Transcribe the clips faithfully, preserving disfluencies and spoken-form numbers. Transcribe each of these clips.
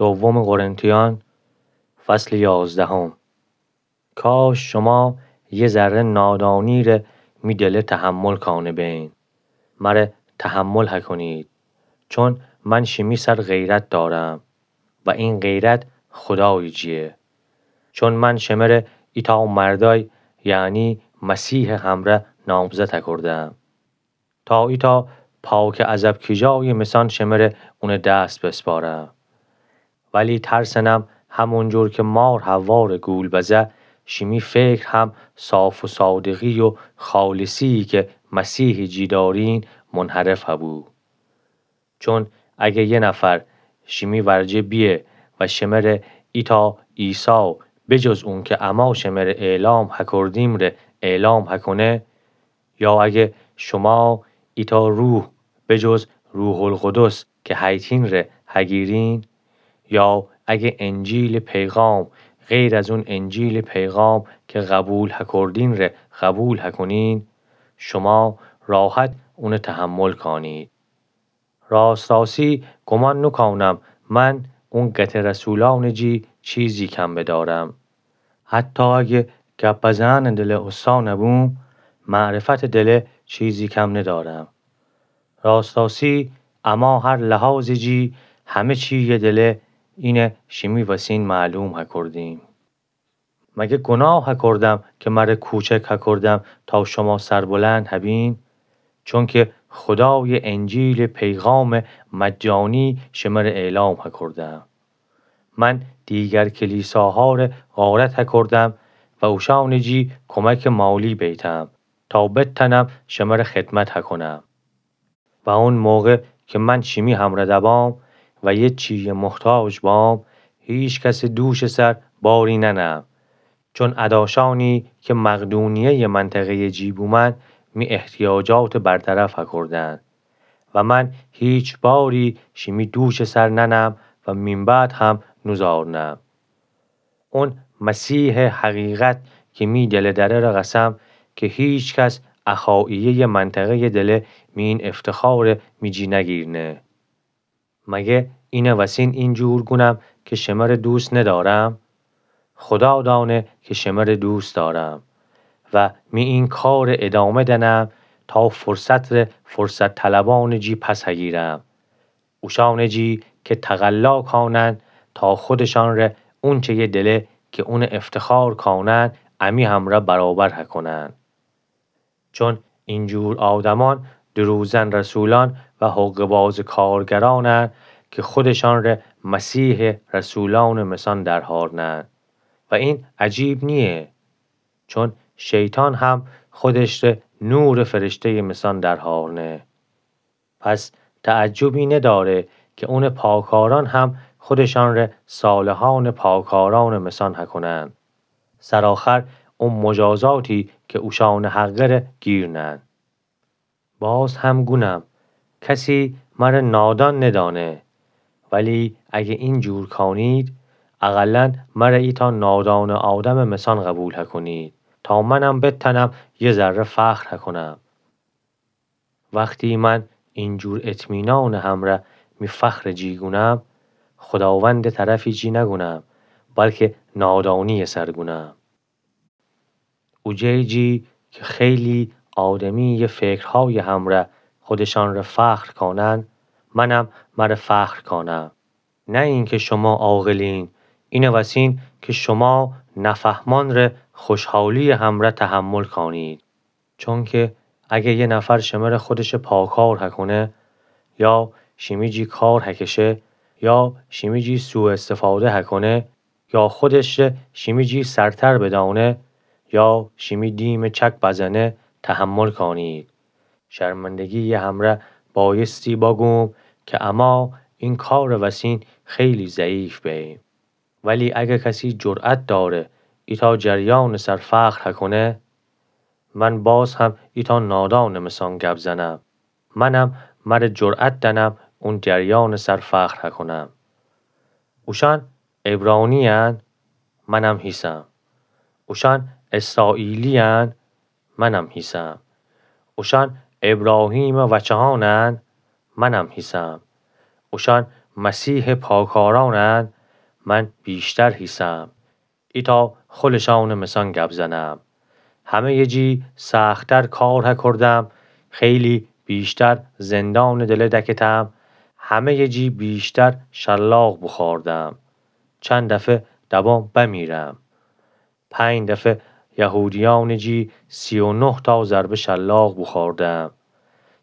دوم قرنتیان، فصل یازدهم. کاش شما یه ذره نادانی ره می دله تحمل کانه بین. مره تحمل هکنید، چون من شیمی سر غیرت دارم و این غیرت خدای جیه. چون من شمره ایتا مردای، یعنی مسیح همره نامزد هکردم. تا ایتا پاکه از ابکیجای مثان شمره اونه دست بسپارم. ولی ترسنم همونجور که مار حواره گول بزه، شیمی فکر هم صاف و صادقی و خالصی که مسیح جی دارین منحرف هبو. چون اگه یه نفر شیمی ورجه بیه و شمره ایتا عیسی بجز اون که اما شمره اعلام هکردیم ره اعلام هکنه، یا اگه شما ایتا روح بجز روح‌القدس که هیتین ره هگیرین، یا اگه انجیل پیغام غیر از اون انجیل پیغام که قبول هکردین ره قبول هکنین، شما راحت اونه تحمل کانید. راست راستی گمان نکونم من اون قته رسولان جی چیزی کم بدارم. حتی اگه گپ بزنان دله استان بوم، معرفت دله چیزی کم ندارم. راست راستی اما هر لحاظ جی همه چی یه دله اینه شیمی وسین معلوم هکردیم. مگه گناه هکردم که مره کوچک هکردم تا شما سربلند هبین؟ چونکه خدای انجیل پیغام مجانی شمره اعلام هکردم. من دیگر کلیساها ره غارت هکردم و اوشان جی کمک مالی بیتم تا بتنم شمره خدمت هکنم. و اون موقع که من شیمی همره دبام و یه چیه محتاج بام، هیچ کس دوش سر باری ننم. چون اداشانی که مقدونیه منطقه جی بومن می احتیاجات برطرف هکردن و من هیچ باری شیمی دوش سر ننم و مین بعد هم نوزارنم. اون مسیح حقیقت که می دله دره ره قسم که هیچ کس اخاییه منطقه دله می این افتخار می جی نگیرنه. مگه اینه وسین این جور گونم که شمره دوست ندارم؟ خدا دانه که شمره دوست دارم و می این کار ادامه دنم تا فرصت ره فرصت طلبان جی پس هگیرم. اوشان جی که تقلا کانن تا خودشان ره اونچه یه دله که اون افتخار کانن امی همره برابر هکنن. چون این جور آدمان دروزن رسولان و حقه‌باز کارگرانن که خودشان ره مسیح رسولان مثان درهارنن و این عجیب نیه. چون شیطان هم خودش ره نور فرشته مثان درهارنه. پس تعجبی نداره که اون پاکاران هم خودشان ره صالحان پاکاران مثان هکنن. سرآخر اون مجازاتی که اوشان حقه ره گیرنن. باز هم گونم، کسی مره نادان ندانه. ولی اگه این جور کانید، اقلاً مره ایتا نادان آدم مثان قبول هکنید تا منم بتنم یه ذره فخر هکنم. وختی من این جور اطمینان همره می فخر جی گونم، خداوند طرفی جی نگونم، بلکه نادانی سر گونم. اوجه جی که خیلی آدمی یه فکرهای همره خودشان ره فخر کانن، منم مره فخر کانم. نه اینکه شما عاقلین، اینه وسین که شما نفهمان ره خوشحالی همره تحمل کانید. چونکه اگه یه نفر شمره خودش پاکار هکنه، یا شیمی جی کار هکشه، یا شیمی جی سوء استفاده هکنه، یا خودش ره شیمی جی سرتر بدانه، یا شیمی دیم چک بزنه، تحمل کانید. شرمندگی همره بایستی باگوم که اما این کار وسین خیلی ضعیف بیم. ولی اگه کسی جرأت داره ایتا جریان سر فخر هکنه، من باز هم ایتا نادان مثان گپ زنم. منم مره جرأت دنم اون جریان سر فخر هکنم. اوشان عبرانی‌ان، منم هیسم. اوشان اسرائیلی‌ان، منم هیسم. اوشان ابراهیم وچه‌هانن، منم هیسم. اوشان مسیحٚ پاکارانن من بیشتر هیسم. ایتأ خلشأنٚ مسأن گب زنم. همه‌یٚ جی سخت‌تر کار هکردم، خیلی بیشتر زندانٚ دله دکتم، همه‌یٚ جی بیشتر شلاق بوخوردم. چند دفه دبام بمیرم. پنج دفه یهودیأنٚ جی سی و نه تا ضربه شلاق بوخوردم.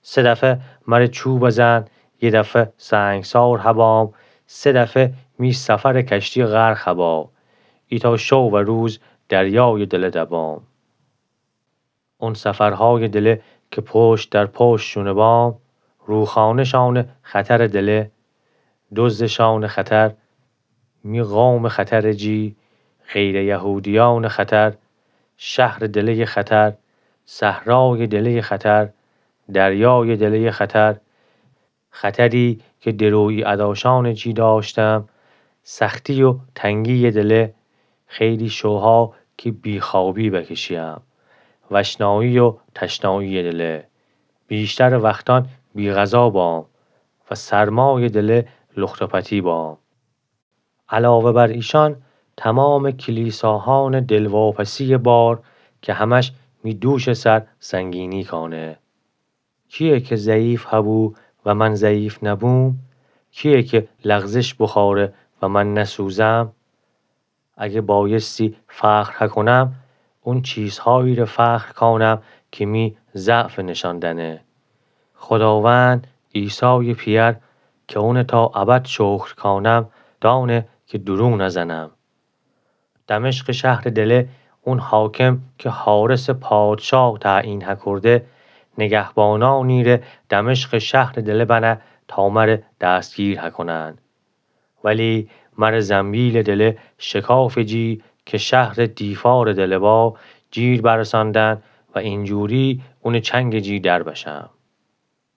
سه دفه مره چوب زن، یه دفه سنگسار هبام، سه دفه می سفرٚ کشتی غرق هبا. ایتأ شو و روز دریایٚ دله دبام. اون سفرهایٚ دله که پشت در پشت شونه بام، روخانه‌شانٚ خطرٚ دله، دزدٚ شانٚ خطر، می قومٚ خطرٚ جی، غیرٚ یهودیأنٚ خطر، شهرٚ دله‌یٚ خطر، صحرایٚ دله‌یٚ خطر، دریایٚ دله‌یٚ خطر، خطری که درویی اداشأنٚ جی داشتم، سختی و تنگی‌یٚ دله، خیلی شوها که بی‌خوابی بکشیم، وشنایی و تشنایی‌یٚ دله، بیشترٚ وختأن بی‌غذا بام و سرمایٚ دله لخت‌وپتی بام. علاوه بر ایشأن تمامٚ کلیساهانٚ دلواپسی‌یٚ بار که همش می دوشٚ سر سنگینی کانه. کیه که ضعیف هبو و من ضعیف نبوم؟ کیه که لغزش بخوأره و من نسوزم؟ اگه بایستی فخر هکونم، اون چیزهایی ره فخر کانم که می ضعف نشان دأنه. خداوند عیسایٚ پئر که اونه تا ابد شکر کانم، دأنه که دورو نزنم. دمشقٚ شهرٚ دله اون حاکم که حارسٚ پادشاه تعیین هکرده، نگهبانأنی ره دمشقٚ شهرٚ دله بنه تا مره دستگیر هکونن. ولی مره زنبیلٚ دله شکافٚ جی که شهرٚ دیفارٚ دله با، گیر برساندن و اینجوری اونٚ چنگٚ جی در بشم.